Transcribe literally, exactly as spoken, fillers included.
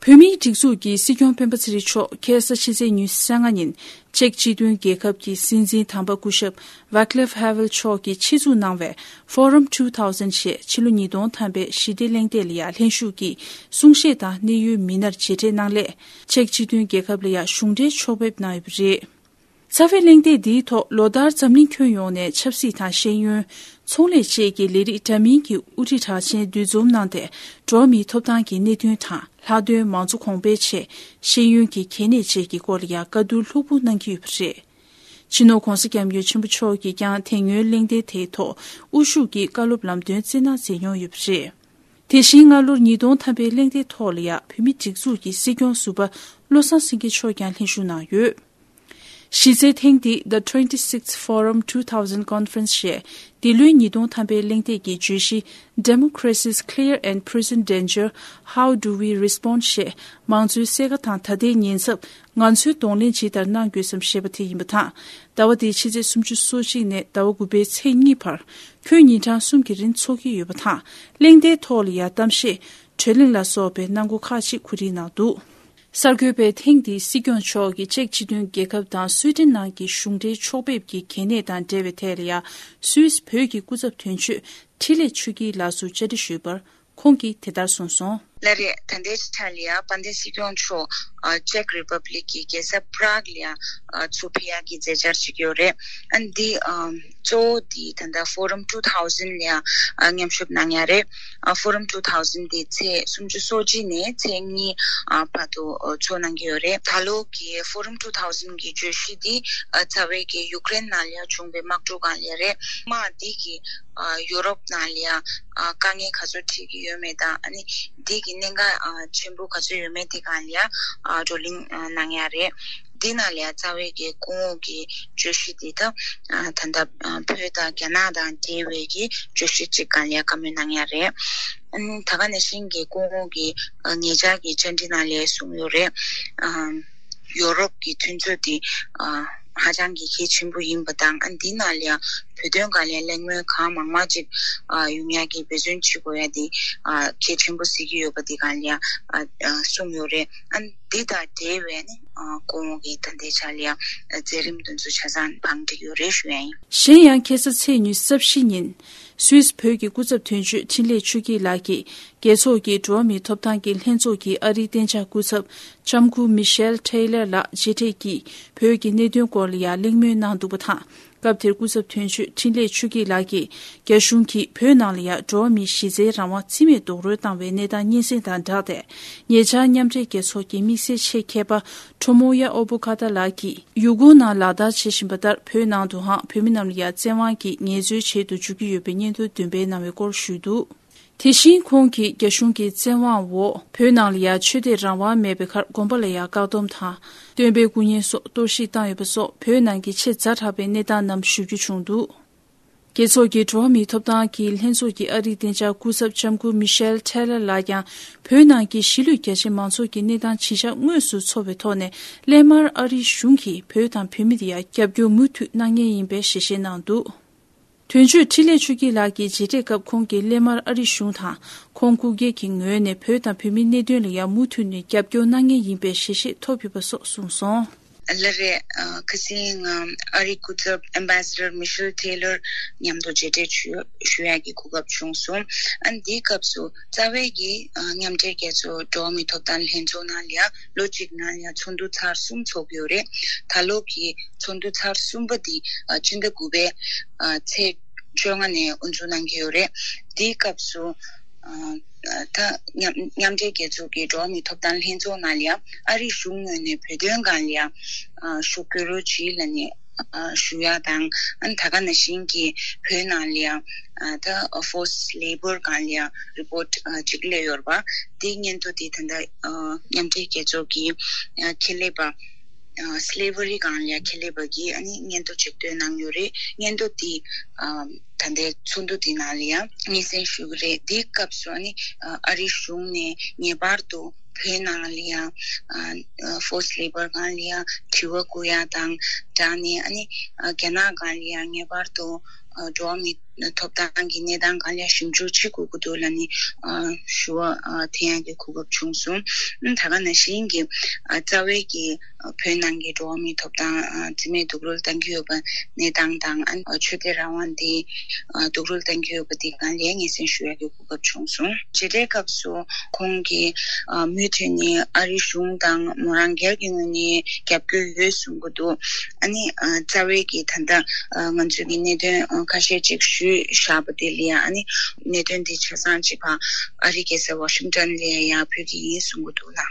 བོད་མིའི་སྒྲིག་འཛུགས་ཀྱི་སྲིད་སྐྱོང་སྤེན་པ་ཚེ་རིང་མཆོག་ཁ་སང་ཕྱི་ཚེས་ཉི་ཤུ་རྩ་ལྔ་ཉིན་ཅེཀ་སྤྱི་མཐུན་རྒྱལ་ཁབ་ཀྱི་སྲིད་འཛིན་དམ་པ་སྐུ་ཞབས་Václav Havel མཆོག་གིས་ཆེད་འཛུགས་གནང་བའི་Forum two thousand ཞེས་ཕྱི་ལོ་ཉིས་སྟོང་ཐམ་པའི་ཞི་བདེ་གླེང་སྟེགས་ལ་ཡང་ལྷན་ཞུགས་ཀྱིས་གསུང་བཤད་དང་གནད་ཡོད་མི་སྣར་མཇལ་འཕྲད་གནང་སླད། ཅེཀ་སྤྱི་མཐུན་རྒྱལ་ཁབ་ལ་ཡང་གཞུང་འབྲེལ་ཕྱོགས་ཕེབས་གནང་ཡོད་པ་རེད། རྩ་བའི་གླེང་སྟེགས་འདིའི་ཐོག་ལོ་ལྟར་འཛམ་གླིང་ཁྱོན་ཡོངས་ནས་ཆབ་སྲིད་དང་ཤེས་ཡོན། ཚོང་ལས་བཅས་ཀྱི་ལས་རིགས་འདྲ་མིན་གྱི་དབུ་ཁྲིད་གྲགས་ཅན་འདུ་འཛོམས་གནང་སྟེ། འགྲོ་བ་མིའི་ཐོབ་ཐང་གི་གནད་དོན་དང་ལྷག་དོན་མང་གཙོ་གོང་འཕེལ་ཆེད་ཤེས་ཡོན་གྱི་གལ་གནད་བཅས་ཀྱི་སྐོར་ལ་ཡང་བཀའ་བསྡུར་ལྷུག་པོ་གནང་གི་ཡོད་པ་རེད། སྤྱི་ནོར་༧གོང་ས་༧སྐྱབས་མགོན་ཆེན་པོ་མཆོག་གིས་ཀྱང་དེ་སྔོན་གླེང་སྟེགས་དེའི་ཐོག་དབུ་བཞུགས་ཀྱིས་བཀའ་སློབ་ལམ་སྟོན་སྩལ་གནང་མཛད་མྱོང་ཡོད་པ་རེད། དེ་བཞིན་སྔ་ལོར་ཉིས་སྟོང་ཐམ་པའི་གླེང་སྟེགས་ཐོག་ལ་ཡང་བོད་མིའི་སྒྲིག་འཛུགས་ཀྱི་སྲིད་སྐྱོང་ཟུར་པ་བློ་བཟང་སེང་གེ་མཆོག་ཀྱང་ལྷན་ཞུགས་གནང་ཡོད། གཞི་རྩའི་ཐེངས་འདི་The twenty-sixth Forum two thousand Conference ཞེས་འདི་ལོའི་ཉིས་སྟོང་ཐམ་པའི་གླེང་སྟེགས་ཀྱི་བརྗོད་གཞི་Democracy's Clear and Present Danger, How Do We Respond ཞེས་མང་གཙོའི་སེར་ཁ་དང་ད་ལྟའི་ཉེན་ཚབས་ང་ཚོས་གདོང་ལེན་ཇི་ལྟར་གནང་དགོས་སམ་ཞེས་པ་དེ་ཡིན་པ་དང་། ཟླ་བ་འདིའི་ཕྱི་ཚེས་སོ་གཅིག་ནས་ཟླ་བ་དགུ་པའི་ཚེས་གཉིས་བར་ཁྱོན་ཉིན་གྲངས་གསུམ་གྱི་རིང་འཚོགས་ཀྱི་ཡོད་པ་དང་། གླེང་སྟེགས་ཐོག་ལ་ཡང་གཏམ་བཤད། གྲོས་གླེང་ལ་སོགས་པའི་གནང་སྒོ་ཁག་ཅིག་གོ་སྒྲིག་གནང་འདུག། གསར་འགོད་པས་ཐེངས་འདིའི་སྲིད་སྐྱོང་མཆོག་གིས་ཅེཀ་སྤྱི་མཐུན་རྒྱལ་ཁབ་དང་སུའེ་ཏེན་ནང་གི་གཞུང་འབྲེལ་ཕྱོགས་ཕེབས་ཀྱི་གལ་གནད་དང་འབྲེལ་བའི་ཐད་ལ་ཡང་སུད་སི་བོད་ཀྱི་སྐུ་ཚབ་དོན་གཅོད་འཕྲིན་ལས་ཆོས་སྐྱིད་ལགས་སུ་བཅར་འདྲི་ཞུས་པར་ཁོང་གིས་དེ་ལྟར་གསུངས་སོང་། ལགས་རེད། ད་ལྟའི་ཆ་ལ་ཡང་དཔལ་ལྡན་སྲིད་སྐྱོང་མཆོག་ཅེཀ་རི་པབ་ལིག་གི་རྒྱལ་ས་པ་རག་ལ་ཡང་ཚུར་ཕེབས་ཡག་གི་མཛད་འཆར་བྱེད་ཀྱི་ཡོད་རེད། ཨ་འདི་གཙོ་བོ་འདི་ད་ལྟ་Forum two thousand ལ་ཡང་མཉམ་ཞུགས་གནང་ཡ་རེད། Forum two thousand འདི་ཚེས་སོ་གཅིག་ནས་ཚེས་གཉིས་བར་དུ་འཚོགས་གནང་གི་ཡོད་རེད། ད་ལོ་གི་Forum two thousand གི་བརྗོད་གཞི་འདི་རྩ་བའི་གི་ཡུཀ་རེན་ནང་ལ་ཡང་བྱུང་བའི་དམག་འཁྲུག་སྒང་ལ་ཡང་རེད། དམག་འདི་གི་ཡུ་རོབ་ནང་ལ་ཡང་དཀའ་ངལ་ག་ཚོད་འཕྲད་ཀྱི་ཡོད་མེད་དང་། ཨ་ནི་འདི་གི་གནད་འགག་ཆེན་པོ་ག་ཚོད་ཡོད་མེད་དེ་སྒང་ལ་ཡང་བགྲོ་གླེང་གནང་ཡ་རེད། འདི་ནང་ལ་ཡང་རྩ་བའི་གི་སྐུ་ངོ་གི་བརྗོད་གཞི་འདི་ད་ད་ལྟ་བོད་དང་རྒྱ་ནག་དང་འབྲེལ་བའི་གི་བརྗོད་གཞི་གཅིག་སྒང་ལ་ཡང་བཀའ་མོལ་གནང་ཡ་རེད། ཨ་ནི་ད་ག་ནང་བཞིན་གྱི་སྐུ་ངོ་གིས་ཉེ་ཆར་གྱི་བཅར་འདྲི་ནང་ལ་གསུངས་ཡོད་རེད། ཨ་ཡོ་རོབ་ཀྱི་མཐུན་ཚོགས་འདི་ཨ་ཧ་ཅང་གི་གལ་ཆེན་པོ་ཡིན་པ་དང་། ཨ་འདི་ནང་ལ་ཡང་བོད་དོན་སྒང་ལ་ཡང་གླེང་མོལ་གང་མང་མང་ཅིག་ཨ་ཡོང་ཡག་གི་འབད་བརྩོན་བྱེད་དགོས་ཡ་འདི་ཨ་གལ་ཆེན་པོ་གཟིགས་ཀྱི་ཡོད་པ་འདི་སྒང་ལ་ཡང་ཨ་ཨ་གསུངས་ཡོད་རེད། ཨ་འདི་དང་འབྲེལ་བའི་ནི་ཨ་སྐུ་ངོ་གིས་ད་ལྟའི་ཆ་ལ་ཡང་མཛད་རིམ་དེ་ཚོ་ཆ་ཚང་བང་སྒྲིག་ཡོད་རེད་ཞུ་ཡ་ཡིན། གཞན་ཡང་ཁ་སང་ཚེས་ཉི་ཤུ་རྩ་བཞི་ཉིན། སུད་སི་བོད་ཀྱི་སྐུ་ཚབ་དོན་གཅོད་འཕྲིན་ལས་ཆོས་སྐྱིད་ལགས་ཀྱིས་རྒྱལ་ཚོགས་ཀྱི་འགྲོ་བ་མིའི་ཐོབ་ཐང་གི་ལྷན་ཚོགས་ཀྱི་ཨ་རིའི་གཏན་འཇགས་སྐུ་ཚབ་ལྕམ་སྐུ་མི་ཤེལ་ཊེ་ལར་ལགས་མཇལ་འཕྲད་ཀྱིས་བོད་ཀྱི་གནད་དོན་སྐོར་ལ་ཡང་གླེང་མོལ་གནང་འདུག་པ་དང་། སྐབས་དེར་སྐུ་ཚབ་དོན་གཅོད་འཕྲིན་ལས་ཆོས་སྐྱིད་ལགས་ཀྱིས་རྒྱ་གཞུང་གིས་བོད་ནང་ལ་ཡང་འགྲོ་བ་མིའི་གཞི་རྩའི་རང་དབང་རྩིས་མེད་རྡོག་རོལ་བཏང་བའི་གནས་སྟངས་སྙན་སེང་དང་སྦྲགས་ཏེ། ཉེ་ཆར་མཉམ་འབྲེལ་རྒྱལ་ཚོགས་ཀྱི་དམིགས་བསལ་ཆེད་མཁས་པ་ཁྲོ་མོ་ཡ་ཨོ་བྷོ་ཁ་ཏ་ལགས་ཀྱིས་ཡུ་གུར་ནང་ལག་བསྟར་བྱེད་བཞིན་པ་ལྟར་བོད་ནང་དུའང་བོད་མི་རྣམས་ལ་ཡང་བཙན་དབང་གིས་ངལ་རྩོལ་བྱེད་དུ་འཇུག་གི་ཡོད་པའི་སྙན་ཐོ་འདོན་སྤེལ་གནང་བའི་སྐོར་ཞུས་འདུག། དེ་བཞིན་ཁོང་གིས་རྒྱ་གཞུང་གི་བཙན་དབང་འོག་བོད་ནང་ལ་ཡང་ཆོས་དད་རང་དབང་མེད་པའི་ཁར་དགོན་པ་ལ་ཡང་བཀག་སྡོམ་དང་། སྟོན་པའི་སྐུ་བརྙན་སོགས་གཏོར་བཤིག་བཏང་ཡོད་པ་སོགས་བོད་ནང་གི་ཆེས་ཛ་དྲག་པའི་གནས་སྟངས་རྣམས་ཞུ་རྒྱུ་བྱུང་འདུག། རྒྱལ་ཚོགས་ཀྱི་འགྲོ་བ་མིའི་ཐོབ་ཐང་གི་ལྷན་ཚོགས་ཀྱི་ཨ་རིའི་གཏན་འཇགས་སྐུ་ཚབ་ལྕམ་སྐུ་མི་ཤེལ་ཊེ་ལར་ལགས་ཀྱང་བོད་ནང་གི་གཞིས་ལུས་རྒྱ་ཆེ་མང་ཚོགས་ཀྱི་གནས་སྟངས་ཇི་བཞག་དངོས་སུ་ཚོར་བའི་ཐོག་ནས་སླད་མར་ཨ་རིའི་གཞུང་གིས་བོད་དང་བོད་མི་དེ་ཡང་རྒྱབ་སྐྱོར་མུ་མཐུད་གནང་མཁན་ཡིན་པའི་ཞལ་བཞེས་གནང་འདུག། དོན་གཅོད་འཕྲིན་ལས་ཆོས་སྐྱིད་ལགས་ཀྱིས་མཇལ་འཕྲད་སྐབས་ཁོང་གིས་སླད་མར་ཨ་རིའི་གཞུང་དང་ཁོང་སྐུ་སྒེར་གྱི་ངོས་ནས་བོད་དང་བོད་མིའི་གནད་དོན་ལ་ཡང་མུ་མཐུད་ནས་རྒྱབ་སྐྱོར་གནང་མཁན་ཡིན་པའི་ཞལ་བཞེས་ཐོབ་ཡོད་པ་སོགས་གསུངས་སོང་། ལགས་རེད། ཨ་ཁ་སང་ང་ཨ་རིའི་སྐུ་ཚབ་Ambassador Michelle Taylor མཉམ་དུ་མཇལ་འཕྲད་ཞུ་ཞུ་ཡག་གི་གོ་སྐབས་བྱུང་སོང་། ཨ་འདིའི་སྐབས་སུ་རྩ་བའི་གི་ཨ་མཉམ་འབྲེལ་རྒྱལ་ཚོགས་འགྲོ་བ་མིའི་ཐོབ་ཐང་ལྷན་ཚོགས་ནང་ལ་ཡང་ལོ་གཅིག་ནང་ལ་ཡང་ཚོགས་འདུ་ཚར་གསུམ་ཚོགས་ཀྱི་ཡོད་རེད། ད་ལོ་གི་ཚོགས་འདུ་ཚར་གསུམ་པ་འདི་ཨ་སྤྱི་ཟླ་དགུ་པའི་ཨ་ཚེས་བཅོ་ལྔ་ནས་དབུ་འཛུགས་གནང་གི་ཡོད་རེད། དེའི་སྐབས་སུ་ཨ་ད་མཉམ་མཉམ་འབྲེལ་རྒྱལ་ཚོགས་ཀྱི་འགྲོ་བ་མིའི་ཐོབ་ཐང་ལྷན་ཚོགས་ནང་ལ་ཡང་ཨ་རིའི་གཞུང་ངོས་ནས་བོད་དོན་སྒང་ལ་ཡང་ཨ་ཤུགས་སྐྱོན་རོགས་གྱིས་ལབ་ནས་ཨ་ཞུ་ཡ་དང་། ཨ་ནི་ད་ག་ནང་བཞིན་གྱི་བོད་ནང་ལ་ཡང་ཨ་ད་forced labour སྒང་ལ་ཡང་report ཨ་གཅིག་སླེབས་ཡོད་རེད་པ། དེའི་སྙན་ཐོ་དེ་ད་ལྟ་ཨ་མཉམ་འབྲེལ་རྒྱལ་ཚོགས་ཀྱི་ཨ་ཁྱད་ལས་པ། ཨ་slavery སྒང་ལ་ཡང་ཁྱད་ལས་པ་གིས་ཨ་ནི་སྙན་ཐོ་ཅིག་བཏོན་གནང་ཡོད་རེད། སྙན་ཐོ་དེ་ཨ་ད་ལྟའི་ཚོགས་འདུ་དེ་ནང་ལ་ཡང་སྙན་སེང་ཞུ་གི་རེད། དེའི་སྐབས་སུ་ཨ་ནི་ཨ་རིའི་གཞུང་ནས་ངེས་པར་དུ་བོད་ནང་ལ་ཡང་ཨ་forced labour སྒང་ལ་ཡང་དྲི་བ་བཀོད་ཡ་དང་སྦྲགས་ནས། ཨ་ནི་ཨ་རྒྱ་ནག་སྒང་ལ་ཡང་ངེས་པར་དུ་ཨ་འགྲོ་བ་མིའི་ ཐོབ་ཐང་གི་གནས་སྟངས་སྒང་ལ་ཞིབ་འཇུག་བྱེད་དགོས་ཀྱི་འདུག་ལབ་ནས་ཞུ་བ་འཐེན་ཡག་གི་གོ་སྐབས་བྱུང་སོང་། ད་ག་ནང་བཞིན་གྱི་རྩ་བའི་གི་བོད་ནང་གི་འགྲོ་བ་མིའི་ཐོབ་ཐང་རྩིས་མེད་སྡུག་རུལ་བཏང་གི་ཡོད་པ་གནས་སྟངས་དང་ཆོས་དད་རང་དབང་དེ་སྡུག་རུལ་བཏང་གི་ཡོད་པ་དེ་སྒང་ལ་སྙན་སེང་ཞུ་ཡག་གི་གོ་སྐབས་བྱུང་སོང་། བྱེད་སྒྲའི་སྐབས་སུ་ཁོང་གིས་མུ་མཐུད་ནས་ཨ་རིའི་གཞུང་དང་མོ་རང་སྒེར་གྱི་ངོས་ནས་རྒྱབ་སྐྱོར་ཡོད་གསུང་གི་འདུག་ཨ་ནི་རྩ་བའི་གི་ད་ལྟ་ང་ཚོས་ཀྱི་གནད་དོན་ཁ་ཤས་ཅིག་ཞུས་བཞག་པ་དེ་ལ་ཡང་ཨ་ནི་གནད་དོན་དེ་ཆ་ཚང་ཅིག་ཕར་ཨ་རིའི་རྒྱལ་ས་ཝ་ཤིང་ཊོན་ལ་ཡང་ཕུལ་གྱི་ཡིན་གསུང་གི་འདུག་ལ།